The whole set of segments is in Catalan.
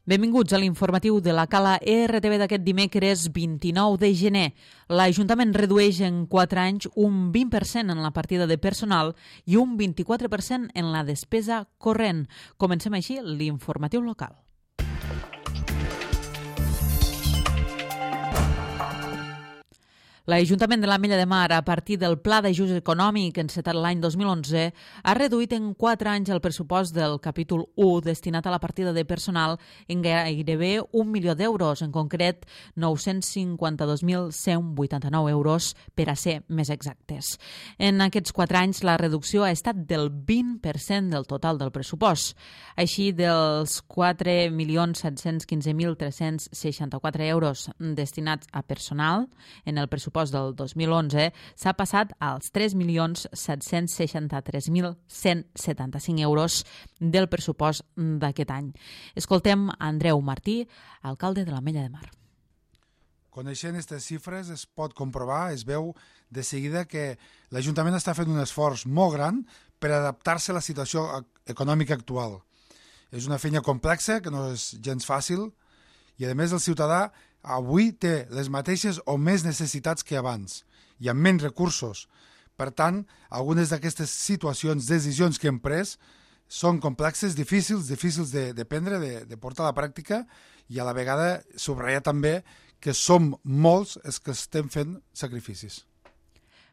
Benvinguts a l'informatiu de la Cala RTV d'aquest dimecres 29 de gener. L'Ajuntament redueix en 4 anys un 20% en la partida de personal i un 24% en la despesa corrent. Comencem així l'informatiu local. L'Ajuntament de l'Ametlla de Mar, a partir del Pla d'Ajust Econòmic encetat l'any 2011, ha reduït en 4 anys el pressupost del capítol 1 destinat a la partida de personal en gairebé 1 milió d'euros, en concret 952.189 euros per a ser més exactes. En aquests 4 anys la reducció ha estat del 20% del total del pressupost. Així, dels 4.715.364 euros destinats a personal en el pressupost del 2011 s'ha passat als 3.763.175 euros del pressupost d'aquest any. Escoltem Andreu Martí, alcalde de l'Ametlla de Mar. Coneixent aquestes xifres es pot comprovar, es veu de seguida que l'Ajuntament està fent un esforç molt gran per adaptar-se a la situació econòmica actual. És una feina complexa, que no és gens fàcil, i a més el ciutadà avui té les mateixes o més necessitats que abans i amb menys recursos. Per tant, algunes d'aquestes situacions, decisions que hem pres són complexes, difícils de prendre, de portar a la pràctica, i a la vegada subratllar també que som molts els que estem fent sacrificis.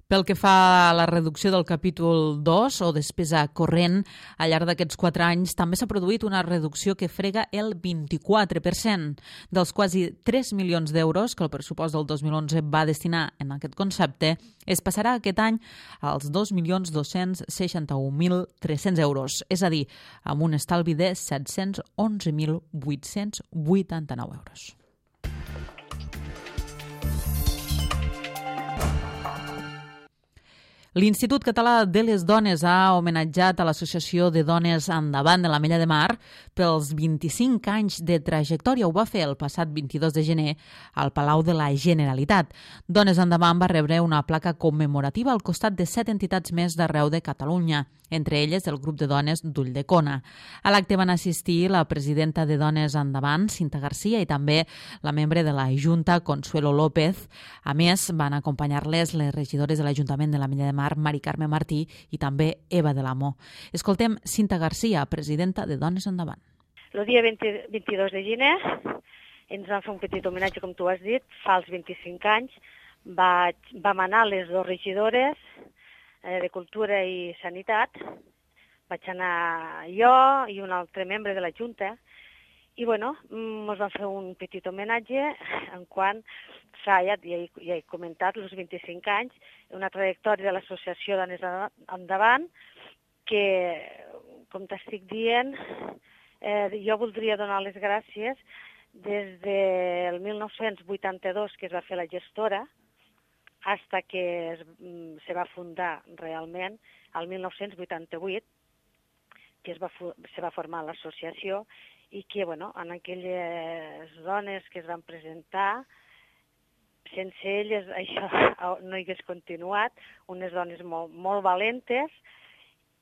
Pel que fa a la reducció del capítol 2 o despesa corrent, al llarg d'aquests 4 anys també s'ha produït una reducció que frega el 24%. Dels quasi 3 milions d'euros que el pressupost del 2011 va destinar en aquest concepte, es passarà aquest any als 2.261.300 euros, és a dir, amb un estalvi de 711.889 euros. L'Institut Català de les Dones ha homenatjat a l'Associació de Dones Endavant de l'Ametlla de Mar pels 25 anys de trajectòria. Ho va fer el passat 22 de gener al Palau de la Generalitat. Dones Endavant va rebre una placa commemorativa al costat de 7 entitats més d'arreu de Catalunya, entre elles el grup de dones d'Ulldecona. A l'acte van assistir la presidenta de Dones Endavant, Cinta Garcia, i també la membre de la Junta, Consuelo López. A més, van acompanyar-les les regidores de l'Ajuntament de l'Ametlla de Mar, Mari Carme Martí, i també Eva de l'Amo. Escoltem Cinta Garcia, presidenta de Dones Endavant. El dia 22 de gener ens van fer un petit homenatge, com tu has dit, fa els 25 anys. Vam anar les dues regidores de Cultura i Sanitat. Vaig anar jo i un altre membre de la Junta. I, ens van fer un petit homenatge en quant ja he comentat, els 25 anys, una trajectòria de l'Associació Dones Endavant, que, com t'estic dient, jo voldria donar les gràcies des del 1982, que es va fer la gestora, fins que se va fundar realment, el 1988, que se va formar l'associació, i que, en aquelles dones que es van presentar, sense elles això no hagués continuat, unes dones molt valentes,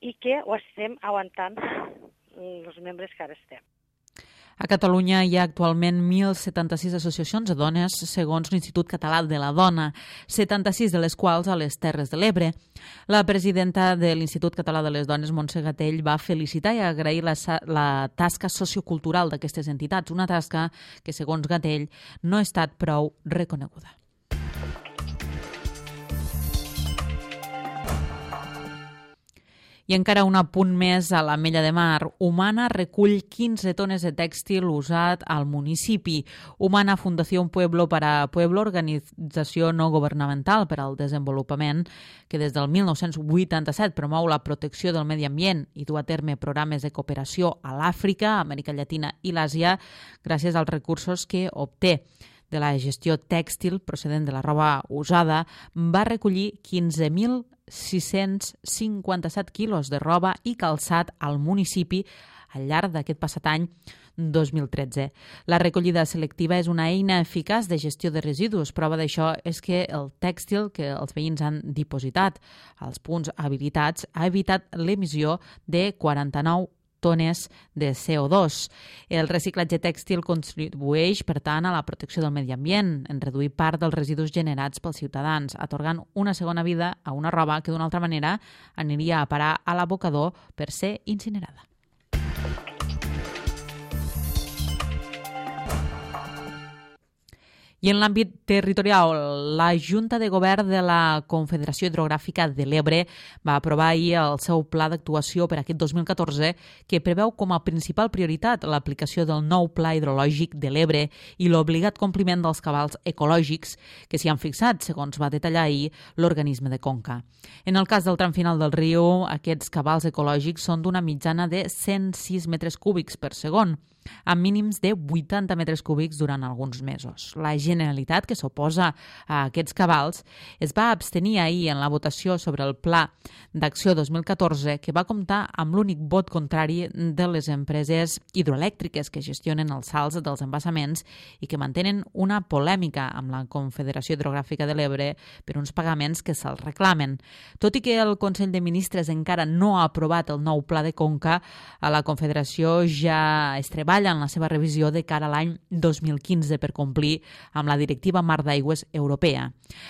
i que ho estem aguantant els membres que ara estem. A Catalunya hi ha actualment 1.076 associacions de dones, segons l'Institut Català de la Dona, 76 de les quals a les Terres de l'Ebre. La presidenta de l'Institut Català de les Dones, Montse Gatell, va felicitar i agrair la tasca sociocultural d'aquestes entitats, una tasca que, segons Gatell, no ha estat prou reconeguda. I encara un apunt més a l'Ametlla de Mar. Humana recull 15 tones de tèxtil usat al municipi. Humana Fundación Pueblo para Pueblo, organització no governamental per al desenvolupament, que des del 1987 promou la protecció del medi ambient i du a terme programes de cooperació a l'Àfrica, Amèrica Llatina i l'Àsia, gràcies als recursos que obté de la gestió tèxtil procedent de la roba usada, va recollir 15.657 quilos de roba i calçat al municipi al llarg d'aquest passat any 2013. La recollida selectiva és una eina eficaç de gestió de residus. Prova d'això és que el tèxtil que els veïns han dipositat als punts habilitats ha evitat l'emissió de 49 tones de CO2. El reciclatge tèxtil contribueix, per tant, a la protecció del medi ambient, en reduir part dels residus generats pels ciutadans, atorgant una segona vida a una roba que d'una altra manera aniria a parar a l'abocador per ser incinerada. I en l'àmbit territorial, la Junta de Govern de la Confederació Hidrogràfica de l'Ebre va aprovar ahir el seu pla d'actuació per aquest 2014 que preveu com a principal prioritat l'aplicació del nou Pla Hidrològic de l'Ebre i l'obligat compliment dels cabals ecològics que s'hi han fixat, segons va detallar ahir l'organisme de Conca. En el cas del tram final del riu, aquests cabals ecològics són d'una mitjana de 106 metres cúbics per segon, amb mínims de 80 metres cúbics durant alguns mesos. La Generalitat, que s'oposa a aquests cabals, es va abstenir ahir en la votació sobre el Pla d'Acció 2014, que va comptar amb l'únic vot contrari de les empreses hidroelèctriques que gestionen els sals dels embassaments i que mantenen una polèmica amb la Confederació Hidrogràfica de l'Ebre per uns pagaments que se'ls reclamen. Tot i que el Consell de Ministres encara no ha aprovat el nou Pla de Conca, a la Confederació ja es treballa en la seva revisió de cara a l'any 2015 per complir amb la Directiva Mar d'Aigües Europea.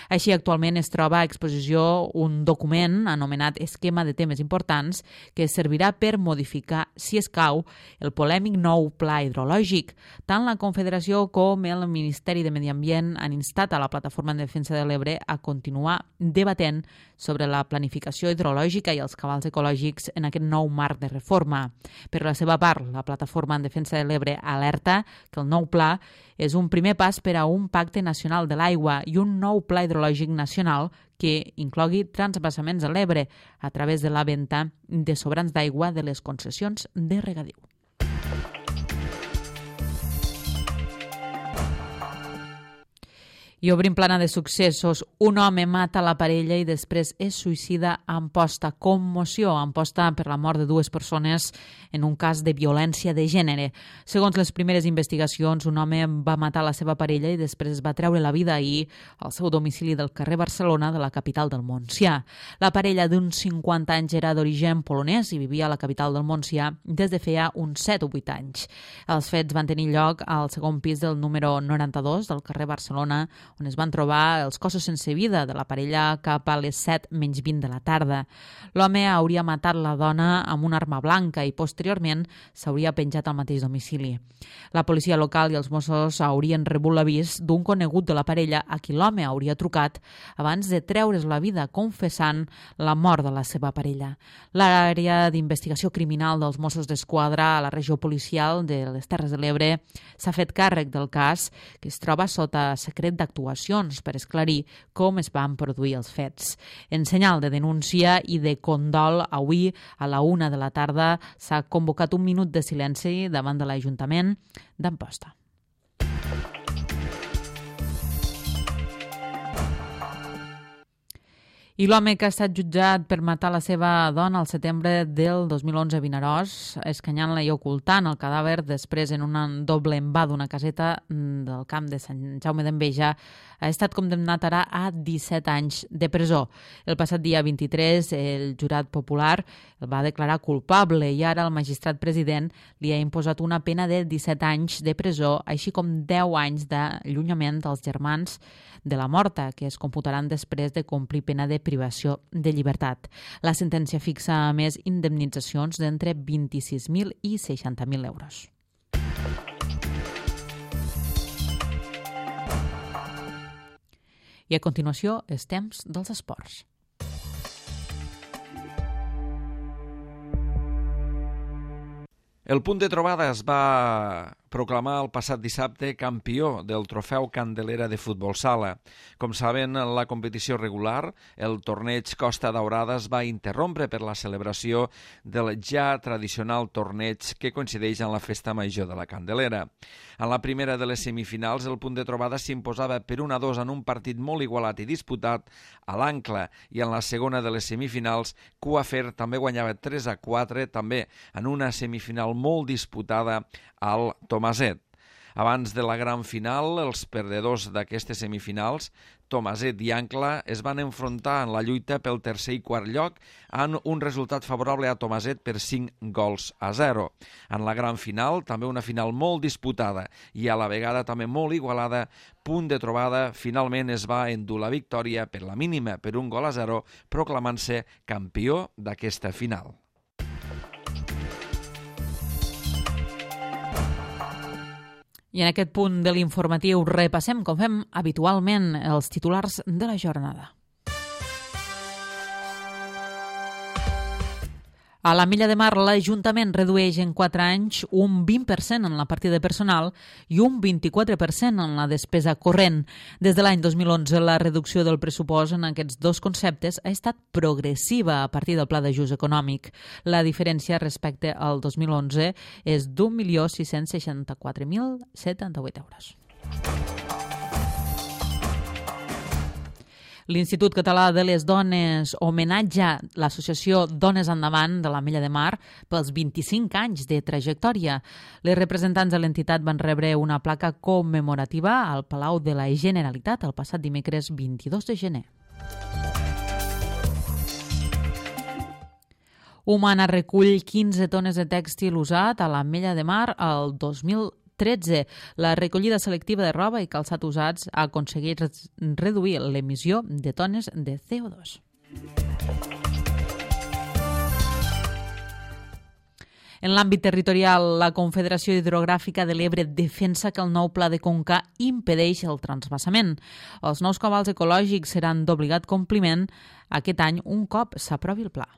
Així, actualment es troba a exposició un document anomenat Esquema de temes importants que servirà per modificar, si escau, el polèmic nou pla hidrològic. Tant la Confederació com el Ministeri de Medi Ambient han instat a la Plataforma en Defensa de l'Ebre a continuar debatent sobre la planificació hidrològica i els cabals ecològics en aquest nou marc de reforma. Per la seva part, la Plataforma en Defensa de l'Ebre alerta que el nou pla és un primer pas per a un pacte nacional de l'aigua i un nou pla hidrològic nacional que inclogui transvasaments a l'Ebre a través de la venda de sobrants d'aigua de les concessions de regadiu. I obrim plana de successos. Un home mata la parella i després es suïcida a Amposta. Commoció a Amposta per la mort de dues persones en un cas de violència de gènere. Segons les primeres investigacions, un home va matar la seva parella i després es va treure la vida ahir al seu domicili del carrer Barcelona de la capital del Montsià. La parella d'uns 50 anys era d'origen polonès i vivia a la capital del Montsià des de feia uns 7 o 8 anys. Els fets van tenir lloc al segon pis del número 92 del carrer Barcelona, on es van trobar els cossos sense vida de la parella cap a les 7 menys 20 de la tarda. L'home hauria matat la dona amb una arma blanca i posteriorment s'hauria penjat al mateix domicili. La policia local i els Mossos haurien rebut l'avís d'un conegut de la parella a qui l'home hauria trucat abans de treure's la vida confessant la mort de la seva parella. L'àrea d'investigació criminal dels Mossos d'Esquadra a la regió policial de les Terres de l'Ebre s'ha fet càrrec del cas, que es troba sota secret d'actuacions per esclarir com es van produir els fets. En senyal de denúncia i de condol, avui a la 1 de la tarda s'ha convocat un minut de silenci davant de l'Ajuntament d'Amposta. I l'home que ha estat jutjat per matar la seva dona al setembre del 2011 a Vinaròs, escanyant-la i ocultant el cadàver després en un doble envà d'una caseta del camp de Sant Jaume d'Enveja, ha estat condemnat ara a 17 anys de presó. El passat dia 23 el jurat popular el va declarar culpable i ara el magistrat president li ha imposat una pena de 17 anys de presó, així com 10 anys d'allunyament dels germans de la morta, que es computaran després de complir pena de privació de llibertat. La sentència fixa, a més, indemnitzacions d'entre 26.000 i 60.000 euros. I a continuació, els temps dels esports. El Punt de Trobada es va proclamar el passat dissabte campió del trofeu Candelera de futbol sala. Com saben, la competició regular, el torneig Costa Daurada, es va interrompre per la celebració del ja tradicional torneig que coincideix en la festa major de la Candelera. En la primera de les semifinals, el Punt de Trobada s'imposava per 1-2 en un partit molt igualat i disputat a l'Ancla, i en la segona de les semifinals, Cuafer també guanyava 3-4, també en una semifinal molt disputada al Tomaset. Abans de la gran final, els perdedors d'aquestes semifinals, Tomaset i Ancla, es van enfrontar en la lluita pel tercer i quart lloc amb un resultat favorable a Tomaset per 5-0. En la gran final, també una final molt disputada i a la vegada també molt igualada, punt de trobada, finalment es va endur la victòria per la mínima per 1-0, proclamant-se campió d'aquesta final. I en aquest punt de l'informatiu repassem, com fem habitualment, els titulars de la jornada. A l'Ametlla de Mar, l'Ajuntament redueix en 4 anys un 20% en la partida personal i un 24% en la despesa corrent. Des de l'any 2011, la reducció del pressupost en aquests dos conceptes ha estat progressiva a partir del Pla d'Ajust Econòmic. La diferència respecte al 2011 és d'1.664.078 euros. L'Institut Català de les Dones homenatja l'associació Dones Endavant de l'Ametlla de Mar pels 25 anys de trajectòria. Les representants de l'entitat van rebre una placa commemorativa al Palau de la Generalitat el passat dimecres 22 de gener. Humana recull 15 tones de tèxtil usat a l'Ametlla de Mar el 2013. La recollida selectiva de roba i calçat usats ha aconseguit reduir l'emissió de tones de CO2. En l'àmbit territorial, la Confederació Hidrogràfica de l'Ebre defensa que el nou pla de conca impedeix el transvasament. Els nous cabals ecològics seran d'obligat compliment aquest any un cop s'aprovi el pla.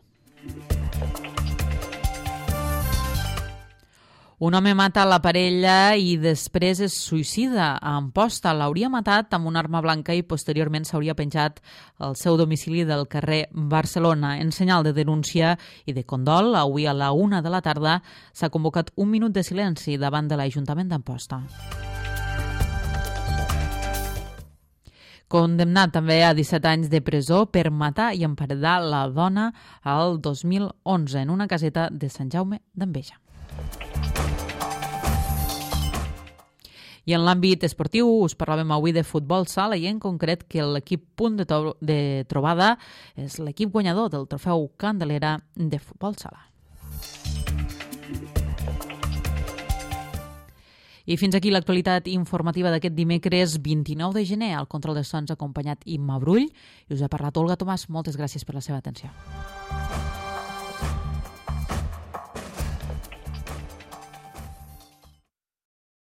Un home mata la parella i després es suïcida a Amposta. L'hauria matat amb una arma blanca i posteriorment s'hauria penjat al seu domicili del carrer Barcelona. En senyal de denúncia i de condol, avui a la 1 de la tarda s'ha convocat un minut de silenci davant de l'Ajuntament d'Amposta. Condemnat també a 17 anys de presó per matar i emparedar la dona al 2011 en una caseta de Sant Jaume d'Enveja. I en l'àmbit esportiu us parlàvem avui de futbol sala i en concret que l'equip Punt de Trobada és l'equip guanyador del trofeu Candelera de futbol sala. I fins aquí l'actualitat informativa d'aquest dimecres 29 de gener. Al control de sons acompanyat Imma Brull i us ha parlat Olga Tomàs. Moltes gràcies per la seva atenció.